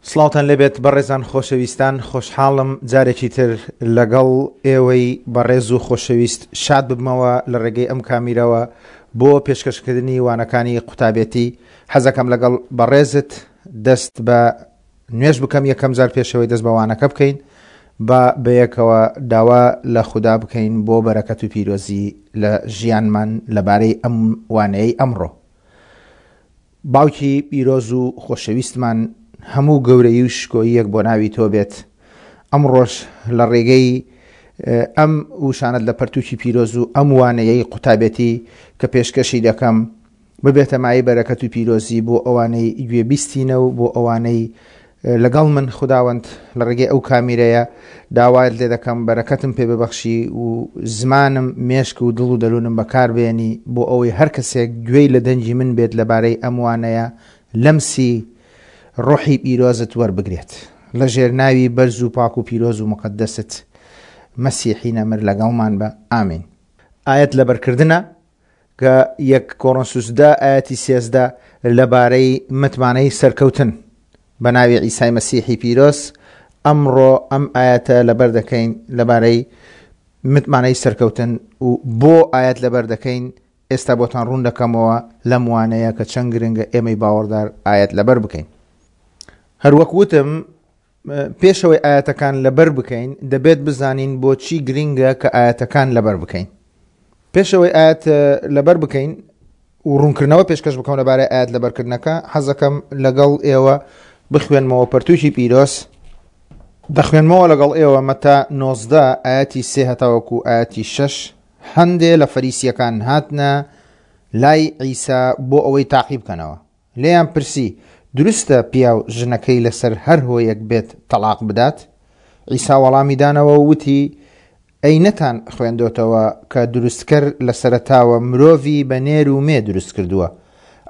سڵاوتان لێبێت بەڕێزان خۆشەویستان خۆشحاڵم جارێکی تر لەگەڵ ئێوەی بەڕێز و خۆشەویست شاد ببمەوە لە ڕێگەی ئەم کامیرەوە بۆ پێشکەشکردنی وانەکانی قوتابێتی حەزەکەم لەگەڵ بەڕێزت دەست بە نوێژ بکەم یەکەم جار پێشەوەی دەست بە وانەکە بکەین با بەیەکەوە داوا لە خودا بکەین بۆ بەرەکەت و پیرۆزی لە ژیانمان لەبارەی ئەم وانەیەی ئەمڕۆ. باوکی پیرۆز و خۆشەویستمان هەموو گەورەیی و شکۆییەک بۆ ناوی تۆ بێت ئەمڕۆش لە ڕێگەی ئەم وشانەت لە پەرتوکی پیرۆز و ئەم وانەیەی قوتابێتی کە پێشکەشی دەکەم ببێتە مایەی بەرەکەت و پیرۆزی بۆ ئەوانەی گوێبیستینە و بۆ ئەوانەی لەگەڵ من خوداوەند لە ڕێگەی ئەو کامیرەیە داوایت لێ دەکەم بەرەکەتم پێ ببەخشی و زمانم مێشک و دڵ و دەروونم بەکاربێنی بۆ ئەوەی هەر کەسێک گوێی لە دەنگی من بێت لەبارەی ئەم وانەیە لەمسی ڕۆحی پیرۆزت وەربگرێت لە ژێر ناوی بەرز و پاک و پیرۆز و مقدست مەسیحی نەمر لەگەڵمان بە ئامین. ئایەت لەبەرکردنە کە یەک کۆرۆنسوس دە ئایەتی 13 لەبارەی متمانەی سەرکەوتن بە ناوی عیسای مەسیحی پیرۆز ئەمڕۆ ئەم ئایەتە لەبەر دەکەین لەبارەی متمانەی سەرکەوتن و بۆ ئایەت لەبەر دەکەین ئێستا بۆتان ڕوون دەکەمەوە لەم وانەیە کە چەند گرنگە ئێمەی باوەڕدار ئایەت لەبەر بکەین هەروەک وتم پێشەوەی ئایەتەکان لەبەر بکەین دەبێت بزانین بۆچی گرنگە کە ئایەتەکان لەبەر بکەین پێشەوەی ئاەت لەبەر بکەین و ڕوونکردنەوە پێشکەش بکەم لەبارەی ئاەت لەبەرکردنەکە حەزەکەم لەگەڵ ئێوە بخوێنمەوە پەرتوکی پیرۆز دەخوێنمەوە لەگەڵ ئێوە مەتا 19 ئاەتی سێ هەتاوەکو ئاەتی شەش هەندێ لە فەریسیەکان هاتنە لای عیسا بۆ ئەوەی تاقی بکەنەوە لێیان پرسی، دروستە پیاو ژنەکەی لەسەر هەر هۆیەک بێت تەڵاق بدات؟ عیسا وەڵامی دانەوە و وتی، ئەی نەتان خوێندۆتەوە کە دروستکەر لە سەرەتاوە مرۆڤی بە نێر و مێ دروست کردووە؟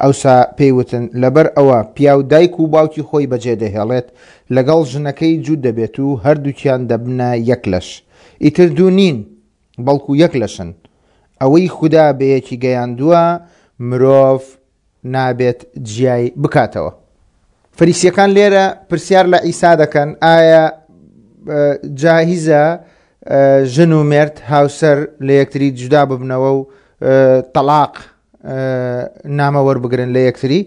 ئەوسا پێی وتن، لەبەر ئەوە پیاو دایک و باوکی خۆی بەجێ دەهێڵێت، لەگەڵ ژنەکەی جووت دەبێت و هەردووکیان دەبنە یەک لەش. ئیتر دوو نین، بەڵکو یەک لەشن. ئەوەی خودا بەیەکی گەیاندووە، مرۆڤ نابێت جیای بکاتەوە. فەریسیەکان لێرە پرسیار لە عیسا دەکەن ئایا جاهیزە ژن و مێرد هاوسەر لە یەکتری جودا ببنەوە و تەلاق نامە وەربگرن لە یەکتری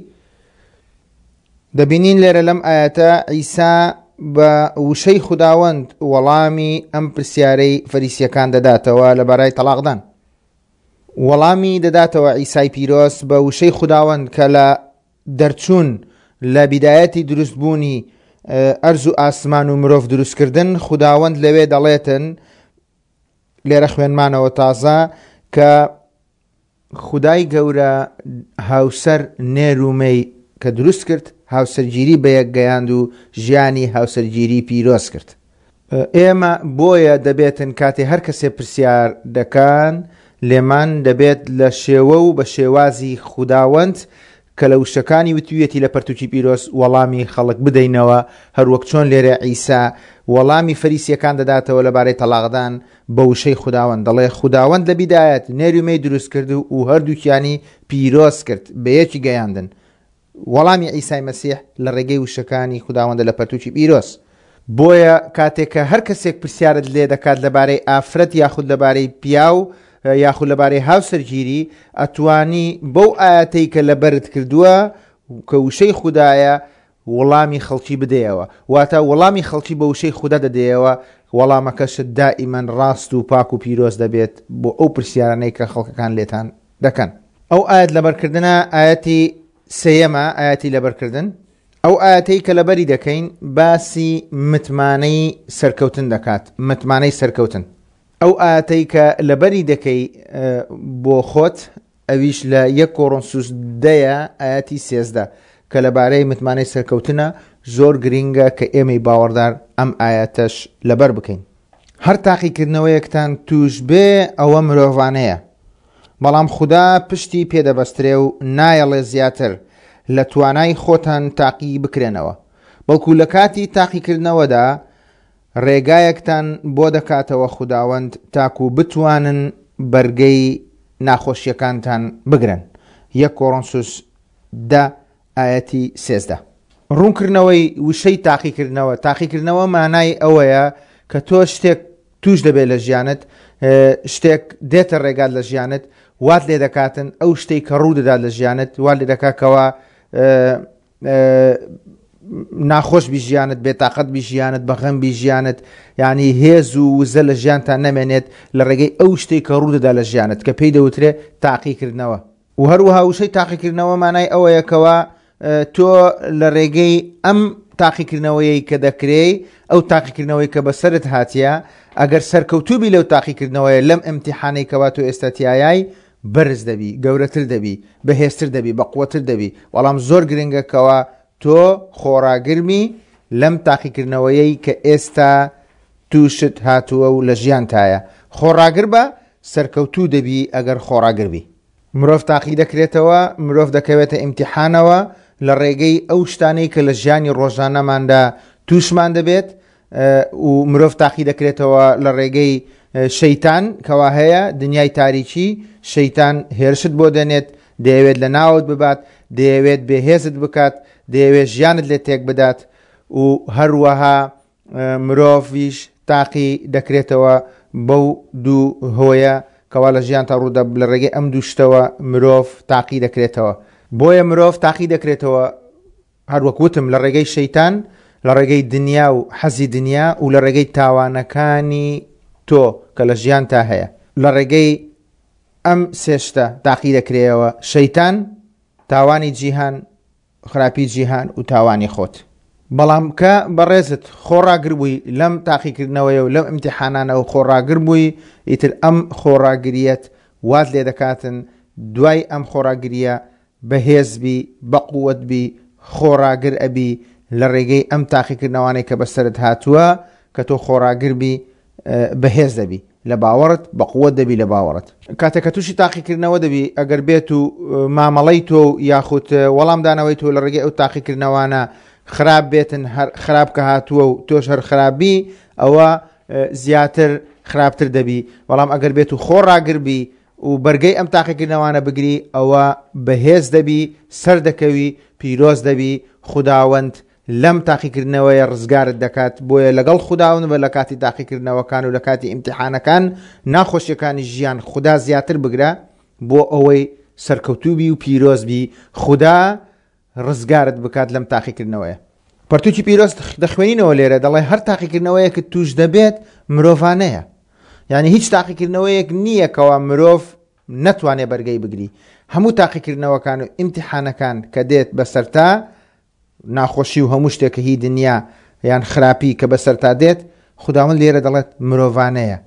دەبینین لێرە لەم ئاەتە عیسا بە وشەی خوداوەند وەڵامی ئەم پرسیارەی فەریسیەکان دەداتەوە لەبارای تەلاقدان وەڵامی دەداتەوە عیسای پیرۆز بە وشەی خوداوەند کە لە دەرچوون لە بیدایەتی دروستبوونی ئەرز و ئاسمان و مرۆڤ دروستکردن خوداوەند لەوێ دەڵێتن لێرە خوێنمانەوە تازە کە خودای گەورە هاوسەر نێر و مێی کە دروست کرد هاوسەرگیری بەیەک گەیاند و ژیانی هاوسەرگیری پیرۆز کرد. ئێمە بۆیە دەبێتن کاتێ هەر کەسێ پرسیار دەکان لێمان دەبێت لە شێوە و بە شێوازی خوداوەند کە لە وشەکانی وتویەتی لە پەرتوکی پیرۆز وەڵامی خەڵک بدەینەوە هەروەک چۆن لێرە عیسا وەڵامی فەریسیەکان دەداتەوە لەبارەی تەڵاقدان بە وشەی خوداوەند دەڵێ خوداوەند لە بیدایەت نێر و مێی دروست کرد و هەردووکیانی پیرۆز کرد بە یەکی گەیاندن وەڵامی عیسای مەسیح لە ڕێگەی وشەکانی خوداوەندە لە پەرتوکی پیرۆز. بۆیە کاتێک کە هەر کەسێک پرسیارت لێ دەکات لەبارەی ئافرەت یاخود لەبارەی پیاو یاخود لەبارەی هاوسەرگیری ئەتوانی بەو ئایەتەی کە لەبەرت کردووە کە وشەی خودایە وەڵامی خەڵکی بدەیەوە واتە وەڵامی خەڵکی بە وشەی خودا دەدەیەوە وەڵامەکەشت دائیمەن ڕاست و پاک و پیرۆز دەبێت بۆ ئەو پرسیارانەی کە خەڵکەکان لێتان دەکەن. ئەو ئایەت لەبەرکردنە ئایەتی سێیەمە ئایەتی لەبەرکردن ئەو ئایەتەی کە لەبەری دەکەین باسی متمانەی سەرکەوتن دەکات متمانەی سەرکەوتن ئەو ئایەتەی کە لەبەری دەکەی بۆ خۆت ئەویش لە یەک کۆڕۆنسوس دەیە ئاەتی سێزدە کە لەبارەی متمانەی سەرکەوتنە زۆر گرینگە کە ئێمەی باوەڕدار ئەم ئاەتەش لەبەر بکەین هەر تاقیکردنەوەیەکتان توش بێ ئەوە مرۆڤانەیە بەڵام خودا پشتی پێ دەبەسترێ و نایەڵێ زیاتر لە توانای خۆتان تاقی بکرێنەوە بەڵکو لە کاتی تاقیکردنەوەدا ڕێگایەکتان بۆ دەکاتەوە خوداوەند تاکو بتوانن بەرگەی ناخۆشیەکانتان بگرن یەک کۆرۆنسوس دە ئایەتی 13. ڕوونکردنەوەی وشەی تاقیکردنەوە، تاقیکردنەوە مانای ئەوەیە کە تۆ شتێک توش دەبێت لە ژیانت، شتێک دێتە ڕێگات لە ژیانت وات لێ دەکاتن ئەو شتێک کە ڕوو دەدات لە ژیانت وات لێ دەکات کەوا ناخۆش بی ژیانت بێتاقەت بی ژیانت بەغەم بی ژیانت یعنی هێز و وزە لە ژیانتان نەمێنێت لە ڕێگەی ئەو شتێک کە ڕوو دەدا لە ژیانت کە پێی دەوترێ تاقیکردنەوە و هەروەها وشەی تاقیکردنەوە مانای ئەوەیە کەوا تۆ لە ڕێگەی ئەم تاقیکردنەوەیەی کە دەکرێی ئەو تاقیکردنەوەی کە بەسەرت هاتیە ئەگەر سەرکەوتوبی لەو تاقیکردنەوەیە لەم ئیمتیحانەی کەوا تۆ ئێستا تیایای بەرز دەبی گەورەتر دەبی بەهێزتر دەبی بەقوەتر دەبی بەڵام زۆر گرنگە کەوا تۆ خۆڕاگرمی لەم تاقیکردنەوەیەی کە ئێستا توشت هاتووە و لە ژیانتایە خۆڕاگر بە سەرکەوتوو دەبی ئەگەر خۆڕاگر بی. مرۆڤ تاقی دەکرێتەوە، مرۆڤ دەکەوێتە ئیمتیحانەوە لە ڕێگەی ئەو شتانەی کە لە ژیانی ڕۆژانەماندا تووشمان دەبێت و مرۆڤ تاقی دەکرێتەوە لە ڕێگەی شەیتان کەوا هەیە دنیای تاریکی شەیتان هێرشت بۆ دێنێت دەیەوێت لە ناوت ببات دەیەوێت بێهێزت بکات دەیەوێت ژیانت لێ تێک بدات و هەروەها مرۆڤیش تاقی دەکرێتەوە بەو دوو هۆیە کەوا لە ژیانتا ڕوودە لە ڕێگەی ئەم دوو شتەوە مرۆڤ تاقی دەکرێتەوە بۆیە مرۆڤ تاقی دەکرێتەوە هەروەک وتم لە ڕێگەی شەیتان لە ڕێگەی دنیا و حەزی دنیا و لە ڕێگەی تاوانەکانی تۆ کە لە ژیانتا هەیە لە ڕێگەی ئەم سێ شتە تاقی دەکرێەوە شەیتان تاوانی جیهان خراپی جیهان و تاوانی خۆت. بەڵام کە بەڕێزت خۆڕاگر بووی لەم تاقیکردنەوەیە و لەم ئیمتیحانانە و خۆڕاگر بووی ئیتر ئەم خۆڕاگریەت وات لێ دەکاتن دوای ئەم خۆڕاگریە بەهێز بی بەقوەت بی خۆڕاگر ئەبی لە ڕێگەی ئەم تاقیکردنەوانەی کە بەسەرت هاتووە کە تۆ خۆڕاگر بی بەهێز دەبی لە باوەڕت بەقوت دەبی لە باوەڕت کاتێک کە تووشی تاقیکردنەوە دەبی ئەگەر بێت و مامەڵەی تۆ و یاخود وەڵامدانەوەی تۆ لە ڕێگەی ئەو تاقیکردنەوانە خراپ بێتن هەر خراپ کە هاتووە و تۆش هەر خراپبی ئەوە زیاتر خراپتر دەبی بەڵام ئەگەر بێت و خۆ ڕاگربی و بەرگەی ئەم تاقیکردنەوانە بگری ئەوە بەهێز دەبی سەردەکەوی پیرۆز دەبی خوداوەند لەم تاقیکردنەوەیە ڕزگارت دەکات، بۆیە لەگەڵ خوداوەند بە لە کاتی تاقیکردنەوەکان و لە کاتی ئیمتیحانەکان ناخۆشیەکانی ژیان خودا زیاتر بگرە بۆ ئەوەی سەرکەوتوو بی و پیرۆز بی خودا ڕزگارت بکات لەم تاقیکردنەوەیە. پەرتوکی پیرۆز دەخوێنینەوە لێرە دەڵێ هەر تاقیکردنەوەیەکت توش دەبێت مرۆڤانەیە یعنی هیچ تاقیکردنەوەیەک نییە کەوا مرۆڤ نەتوانێ بەرگەی بگری هەموو تاقیکردنەوەکان و ئیمتیحانەکان کە دێت بەسەرتا ناخۆشی و هەموو شتێک کە هی دنیا یان خراپی کە بەسەرتا دێت، خوداوەند لێرە دەڵێت مرۆڤانەیە.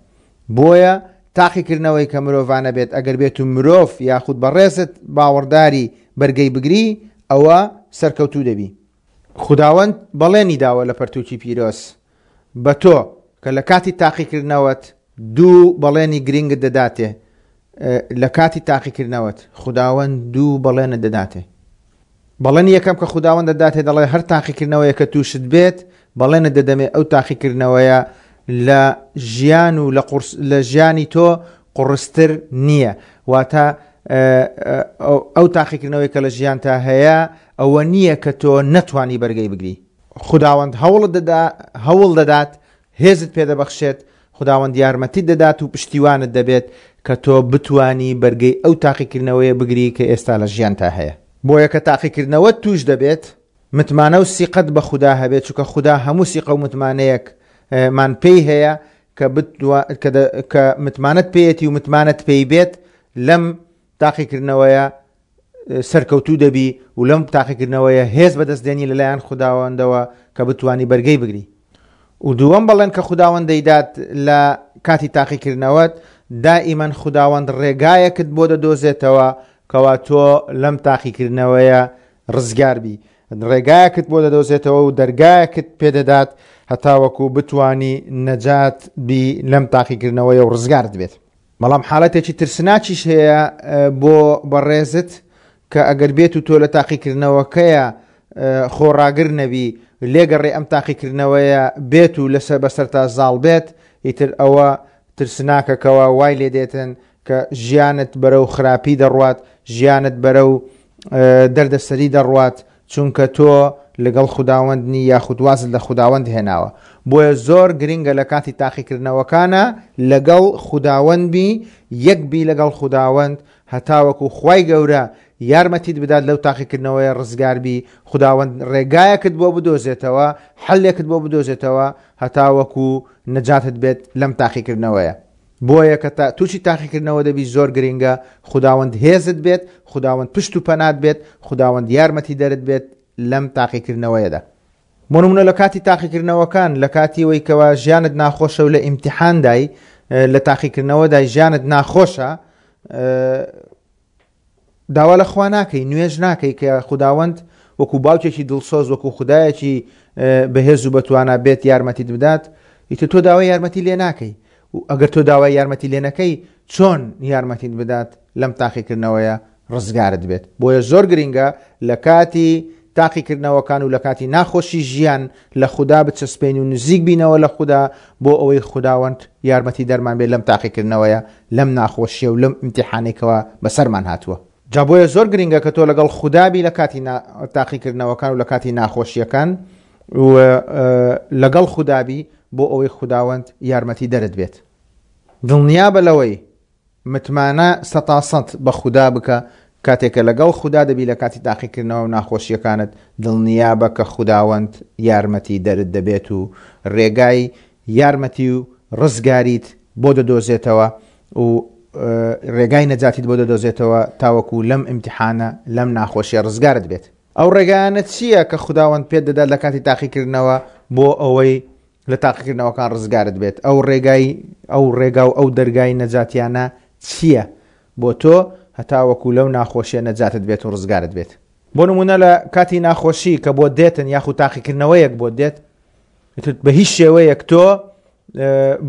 بۆیە تاقیکردنەوەی کە مرۆڤانە بێت ئەگەر بێت و مرۆڤ یاخود بەڕێزت باوەڕداری بەرگەی بگری ئەوە سەرکەوتوو دەبی. خوداوەند بەڵێنی داوە لە پەرتووکی پیرۆز بە تۆ کە لە کاتی تاقیکردنەوەت دوو بەڵێنی گرینگت دەداتێ لە کاتی تاقیکردنەوەت خوداوەند دوو بەڵێنت دەداتێ. بەڵێنی یەکەم کە خوداوەند دەداتێ دەڵێ هەر تاقیکردنەوەیە کە تووشت بێت بەڵێنت دەدەمێ ئەو تاقیکردنەوەیە لە ژیان و لە قورس لە ژیانی تۆ قوڕستر نییە واتە ئەو تاقیکردنەوەی کە لە ژیانتا هەیە ئەوە نییە کە تۆ نەتوانی بەرگەی بگری خوداوەند هەوڵت دەدا هەوڵ دەدات هێزت پێدەبەخشێت، خوداوەند یارمەتیت دەدات و پشتیوانت دەبێت کە تۆ بتوانی بەرگەی ئەو تاقیکردنەوەیە بگری کە ئێستا لە ژیانتا هەیە. بۆیە کە تاقیکردنەوەت تووش دەبێت، متمانە و سیقەت بە خودا هەبێت، چونکە خودا هەموو سیقە و متمانەیەک مان پێی هەیە کە کە متمانەت پێیەتی و متمانەت پێی بێت لەم تاقیکردنەوەیە سەرکەوتوو دەبی و لەم تاقیکردنەوەیە هێز بەدەست دێنی لەلایەن خوداوەندەوە کە بتوانی بەرگەی بگری و دووەم بەڵێن کە خوداوەند دەیدات لە کاتی تاقیکردنەوەت دائیمەن خوداوەند ڕێگایەکت بۆ دەدۆزێتەوە کەوا تۆ لەم تاقیکردنەوەیە ڕزگار بی ڕێگایەکت بۆ دەدۆزێتەوە و دەرگایەکت پێدەدات هەتاوەکو بتانی نەجات بی لەم تاقیکردنەوەیە و ڕزگارت بێت. بەڵام حاڵەتێکی ترسناکیش هەیە بۆ بەڕێزت کە ئەگەر بێت و تۆ لە تاقیکردنەوەکەیە خۆڕاگر نەبی لێگەڕێ ئەم تاقیکردنەوەیە بێت و لەسەر بەسەرتا زاڵ بێت ئیتر ئەوە ترسناکەکەوە وای لێ دێتن کە ژیانت بەرەو خراپی دەڕوات ژیانت بەرەو دەردەسەری دەڕوات. چونکە تۆ لەگەڵ خوداوەند نی یاخود وازت لە خوداوەند هێناوە. بۆیە زۆر گرنگە لە کاتی تاقیکردنەوەکانا لەگەڵ خوداوەند بی، یەک بی لەگەڵ خوداوەند هەتاوەکو خوای گەورە یارمەتیت بدات لەو تاقیکردنەوەیە ڕزگار بی، خوداوەند ڕێگایەکت بۆ بدۆزێتەوە، حەلێکت بۆ بدۆزێتەوە هەتاوەکو نەجاتت بێت لەم تاقیکردنەوەیە. بۆیە کە تا تووشی تاقیکردنەوە دەبی زۆر گرنگە خوداوەند هێزت بێت، خوداوەند پشت و پەنات بێت، خوداوەند یارمەتیدەرت بێت لەم تاقیکردنەوەیەدا. بۆ نمونە لە کاتی تاقیکردنەوەکان، لە کاتی ئەوەی کەوا ژیانت ناخۆشە و لە ئیمتیحاندای، لە تاقیکردنەوەدای ژیانت ناخۆشە، داوا لە خوا ناکەی، نوێژ ناکەی کە خوداوەند وەکو باوکێکی دڵسۆز، وەکو خودایەکی بەهێز و بەتوانا بێت یارمەتیت بدات، ئیتر تۆ داوای یارمەتی لێ ناکەی. و ئەگەر تۆ داوای یارمەتی لێ نەکەی چۆن یارمەتیت بدات لەم تاقیکردنەوەیە ڕزگارت بێت؟ بۆیە زۆر گرینگە لە کاتی تاقیکردنەوەکان و لە کاتی ناخۆشی ژیان لە خودا بچەسپێین و نزیک بینەوە لە خودا بۆ ئەوەی خوداوەند یارمەتی دەرمان بێت لەم تاقیکردنەوەیە، لەم ناخۆشیە و لەم ئیمتیحانەی کەوا بەسەرمان هاتووە. جا بۆیە زۆر گرینگە کە تۆ لەگەڵ خودا بی لە کاتی تاقیکردنەوەکان و لە کاتی ناخۆشیەکان و لەگەڵ خودا بی بۆ ئەوەی خوداوەند یارمەتی دەرت بێت. دڵنیابە لەوەی متمانە سەتاسەت بە خودا بکە، کاتێک کە لەگەڵ خودا دەبی لە کاتی تاقیکردنەوە و ناخۆشییەکانت، دڵنیابە کە خوداوەند یارمەتی دەرت دەبێت و رێگای یارمەتی و رزگاریت بۆ دەدۆزێتەوە و رێگای نەجاتیت بۆ دەدۆزێتەوە تاوەکو لەم ئیمتیحانە، لەم ناخۆشیە رزگارت بێت. ئەو ڕێگایانە چییە کە خوداوەند پێت دەدات لە کاتی تاقیکردنەوە بۆ ئەوەی لە تاقیکردنەوەکان ڕزگارت بێت؟ ئەو ڕێگای ئەو ڕێگا و ئەو دەرگای نەجاتیانە چییە بۆ تۆ هەتاوەکو لەو ناخۆشیە نەجاتت بێت و ڕزگارت بێت؟ بۆ نمونە لە کاتی ناخۆشی کە بۆت دێتن یاخود تاقیکردنەوەیەک بۆت دێت، بە هیچ شێوەیەک تۆ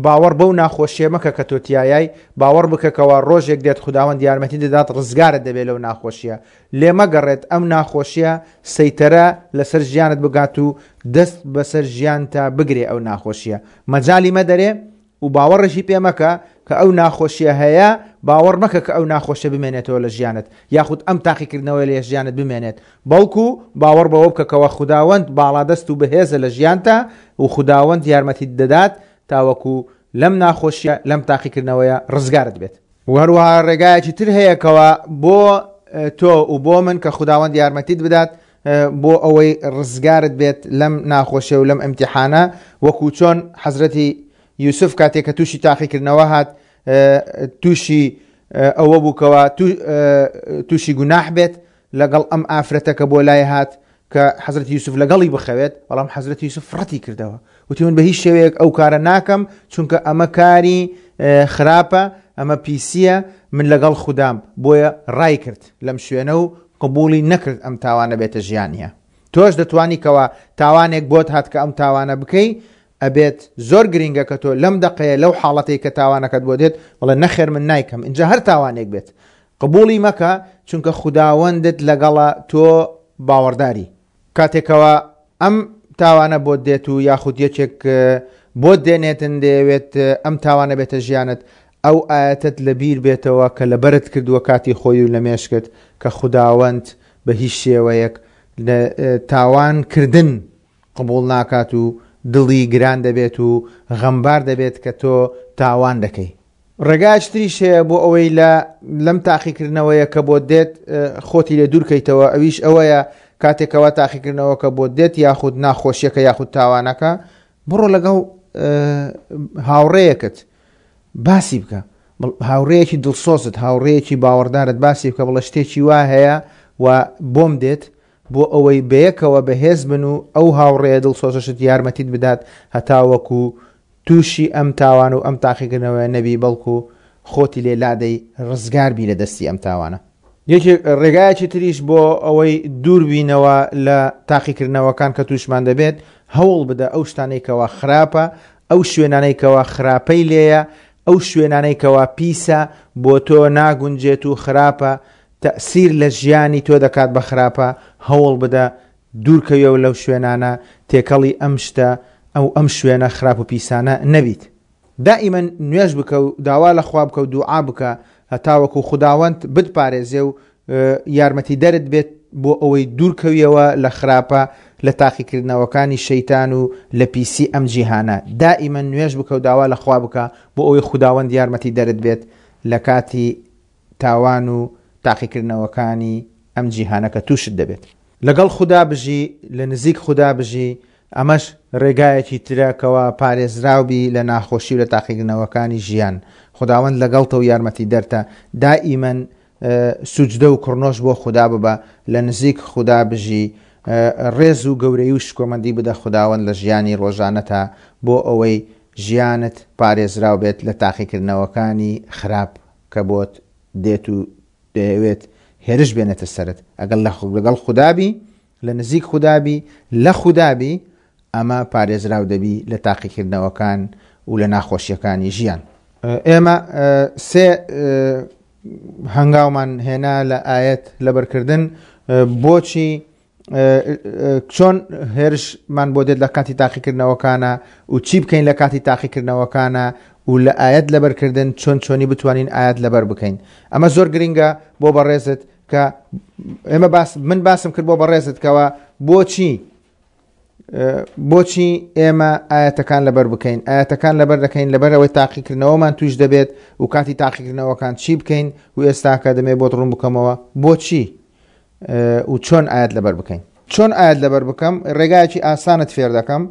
باوەڕ بەو ناخۆشیە مەکە کە تۆ تایای، باوەڕ بکە کەوا ڕۆژێک دێت خوداوەند یارمەتی دەدات ڕزگارت دەبێت لەو ناخۆشیە. لێ مەگەڕێت ئەم ناخۆشیە سەیتەرە لەسەر ژیانت بگات و دەست بەسەر ژیانتا بگرێ ئەو ناخۆشیە مەجالی مەدەرێ و باوەڕیشی پێ مەکە کە ئەو ناخۆشیە هەیە، باوەڕ مەکە کە ئەو ناخۆشیە بمێنێتەوە لە ژیانت یاخود ئەم تاقیکردنەوەیە لە ژیانت بمێنێت، بەڵکو باوەڕ بەوە بکە کەوا خوداوەند باڵادەست و بەهێزە لە ژیانتا و خوداوەند یارمەتیت دەدات تاوەکو لەم ناخۆشیە لەم تاقیکردنەوەیە ڕزگارت بێت. وە هەروەها ڕێگایەکی تر هەیە کەوا بۆ تۆ و بۆ من کە خوداوەند یارمەتیت بدات بۆ ئەوەی ڕزگارت بێت لەم ناخۆشیە و لەم ئیمتیحانە، وەکو چۆن حەزرەتی یوسف کاتێک کە تووشی تاقیکردنەوە هات تووشی ئەوە بوو کەوا تووشی گوناح بێت لەگەڵ ئەم ئافرەتە کە بۆ لای هات کە حەزرەتی یوسف لەگەڵی بخەوێت، بەڵام حەزرەتی یوسف ڕەتی کردەوە وتی من بە هیچ شێوەیەک ئەو کارە ناکەم چونکە ئەمە کاری خراپە ئەمە پیسیە من لەگەڵ خودام، بۆیە ڕای کرد لەم شوێنە و قبوڵی نەکرد ئەم تاوانە بێتە ژیانیە. تۆش دەتوانی کەوا تاوانێک بۆت هات کە ئەم تاوانە بکەی، ئەبێت زۆر گرینگە کە تۆ لەم دەقەیە لەو حاڵەتەی کە تاوانەکەت بۆ دێت بڵێ نەخێر من نایکەم، ئینجا هەر تاوانێک بێت قبوڵی مەکە چونکە خوداوەندت لەگەڵە تۆ باوەڕداری. کاتێکەوە ئەم تاوانە بۆت دێت و یاخود یەکێک بۆت دێنێتن دەیەوێت ئەم تاوانە بێتە ژیانت ئەو ئایەتەت لەبیر بێتەوە کە لەبەرت کردووە کاتی خۆی و لە مێشکت کە خوداوەند بە هیچ شێوەیەک لە تاوان کردن قبوڵ ناکات و دڵی گران دەبێت و غەمبار دەبێت کە تۆ تاوان دەکەی. ڕێگایەکی تریش هەیە بۆ ئەوەی لە لەم تاقیکردنەوەیە کە بۆت دێت خۆتی لێ دوورکەیتەوە ئەویش ئەوەیە کاتێکەوە تاقیکردنەوەکە بۆت دێت یاخود ناخۆشیەکە یاخود تاوانەکە بڕۆ لەگەڵ هاوڕێیەکت باسی بکە هاوڕێیەکی دڵسۆزت هاوڕێیەکی باوەڕدارت باسی بکە بڵێ شتێکی وا هەیە و بۆم دێت بۆ ئەوەی بەیەکەوە بەهێز بن و ئەو هاوڕێیە دڵسۆزەشت یارمەتیت بدات هەتاوەکو تووشی ئەم تاوان و ئەم تاقیکردنەوەیە نەبی بەڵکو خۆتی لێ لادەی ڕزگار بی لە دەستی ئەم تاوانە. یەکێک ڕێگایەکی تریش بۆ ئەوەی دوور بینەوە لە تاقیکردنەوەکان کە تووشمان دەبێت هەوڵ بدە ئەو شتانەی کەوا خراپە ئەو شوێنانەی کەوا خراپەی لێیە ئەو شوێنانەی کەوا پیسە بۆ تۆ ناگونجێت و خراپە تەئسیر لە ژیانی تۆ دەکات بە خراپە هەوڵ بدە دوورکەویەوە لەو شوێنانە، تێکەڵی ئەم شتە ئەو ئەم شوێنە خراپ و پیسانە نەبیت. دائیمەن نوێژ بکە و داوا لە خوا بکە و دوعا بکە هەتاوەکو خوداوەند بتپارێزێ و یارمەتیدەرت بێت بۆ ئەوەی دوورکەویەوە لە خراپە لە تاقیکردنەوەکانی شەیتان و لە پیسی ئەم جیهانە دائیمەن نوێژ بکە و داوا لە خوا بکە بۆ ئەوەی خوداوەند یارمەتی دەرت بێت لە کاتی تاوان و تاقیکردنەوەکانی ئەم جیهانە کە تووشت دەبێت. لەگەڵ خودا بژی، لە نزیک خودا بژی، ئەمەش ڕێگایەکی ترە کەوا پارێزراو بی لە ناخۆشی و لە تاقیکردنەوەکانی ژیان. خوداوەند لەگەڵتە و یارمەتیدەرتە، دائیمەن سوجدە و کڕنۆش بۆ خودا ببە، لە نزیک خودا بژی، ڕێز و گەورەیی و شکۆمەندی بدە خوداوەند لە ژیانی ڕۆژانەتا بۆ ئەوەی ژیانت پارێزراو بێت لە تاقیکردنەوەکانی خراپ کە بۆت دێت و دەیەوێت هێرش بێنێتە سەرت. ئەگەر لەگەڵ خودا بی، لە نزیک خودا بی، لە خودا بی، ئەمە پارێزراو دەبی لە تاقیکردنەوەکان و لە ناخۆشیەکانی ژیان. ئێمە سێ هەنگاومان هێنا لە ئایەت لەبەرکردن بۆچی چۆن هێرشمان بۆ دێت لە کاتی تاقیکردنەوەکانە و چی بکەین لە کاتی تاقیکردنەوەکانە و لە ئاەت لەبەرکردن چۆن چۆنی بتوانین ئاەت لەبەر بکەین ئەمە زۆر گرنگە بۆ بەڕێزت کە ئێمە باس من باسم کرد بۆ بەڕێزت کەەوە بۆچی بۆچی ئێمە ئاەتەکان لەبەر بکەین ئاەتەکان لەبەر دەکەین لەبەر ئەوەی تاقیکردنەوەمان توش دەبێت و کاتی تاقیکردنەوەکان چی بکەین و ئێستاکە دەمێ بۆت ڕوون بکەمەوە بۆچی و چۆن ئاەت لەبەر بکەین چۆن ئاەت لەبەر بکەم ڕێگایەکی ئاسانت فێر دەکەم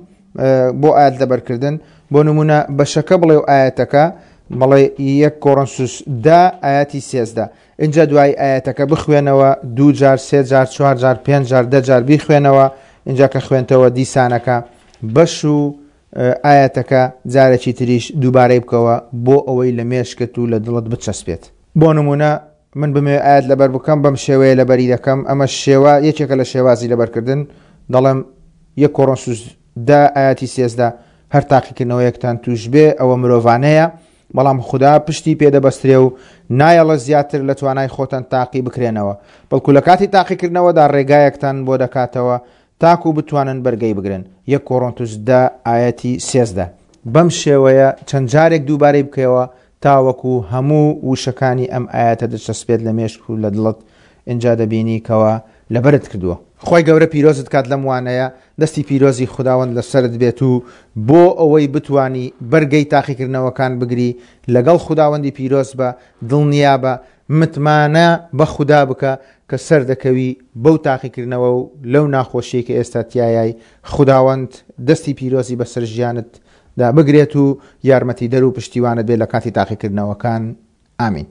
بۆ ئاەت لەبەرکردن بۆ نمونە بەشەکە بڵێ و ئاەتەکە بەڵێ یەک کۆڕنسوس دا ئاەتی سێزدە ئینجا دوایی ئایەتەکە بخوێنەوە دوو جار سێ جار چوار جار پێنج جار دە جار بیخوێنەوە ئینجا کە خوێنتەوە دیسانەکە بەش و ئایەتەکە جارێکی تریش دووبارەی بکەوە بۆ ئەوەی لە مێشکت و لە دڵت بچەسپێت. بۆ نموونە من بمەوێ ئایەت لەبەر بکەم بەم شێوەیە لەبەری دەکەم ئەمە شێوە یەکێکە لە شێوازی لەبەرکردن دەڵێم یەک کۆڕۆنسوس دە ئایەتی 13 هەر تاقیکردنەوەیەکتان توش بێ ئەوە مرۆڤانەیە بەڵام خودا پشتی پێ دەبەسترێ و نایەڵێ زیاتر لە توانای خۆتان تاقی بکرێنەوە، بەڵکو لە کاتی تاقیکردنەوەدا ڕێگایەکتان بۆ دەکاتەوە تاکو بتوانن بەرگەی بگرن، یەک کۆرۆنتوس دە ئایەتی 13. بەم شێوەیە چەند جارێک دووبارەی بکەوە تاوەکو هەموو وشەکانی ئەم ئایەتە دەچەسپێت لە مێشک و لە دڵت، ئینجا دەبینی کەوا لەبەرت کردووە. خوای گەورە پیرۆزت کات لەم وانەیە، دەستی پیرۆزی خوداوەند لەسەرت بێت و بۆ ئەوەی بتوانی بەرگەی تاقیکردنەوەکان بگری لەگەڵ خوداوەندی پیرۆز بە، دڵنیابە، متمانە بە خودا بکە کە سەردەکەوی بەو تاقیکردنەوە و لەو ناخۆشیەی کە ئێستا تیایای، خوداوەند دەستی پیرۆزی بەسەر ژیانت دا بگرێت و یارمەتیدەر و پشتیوانت بێت لە کاتی تاقیکردنەوەکان. ئامین.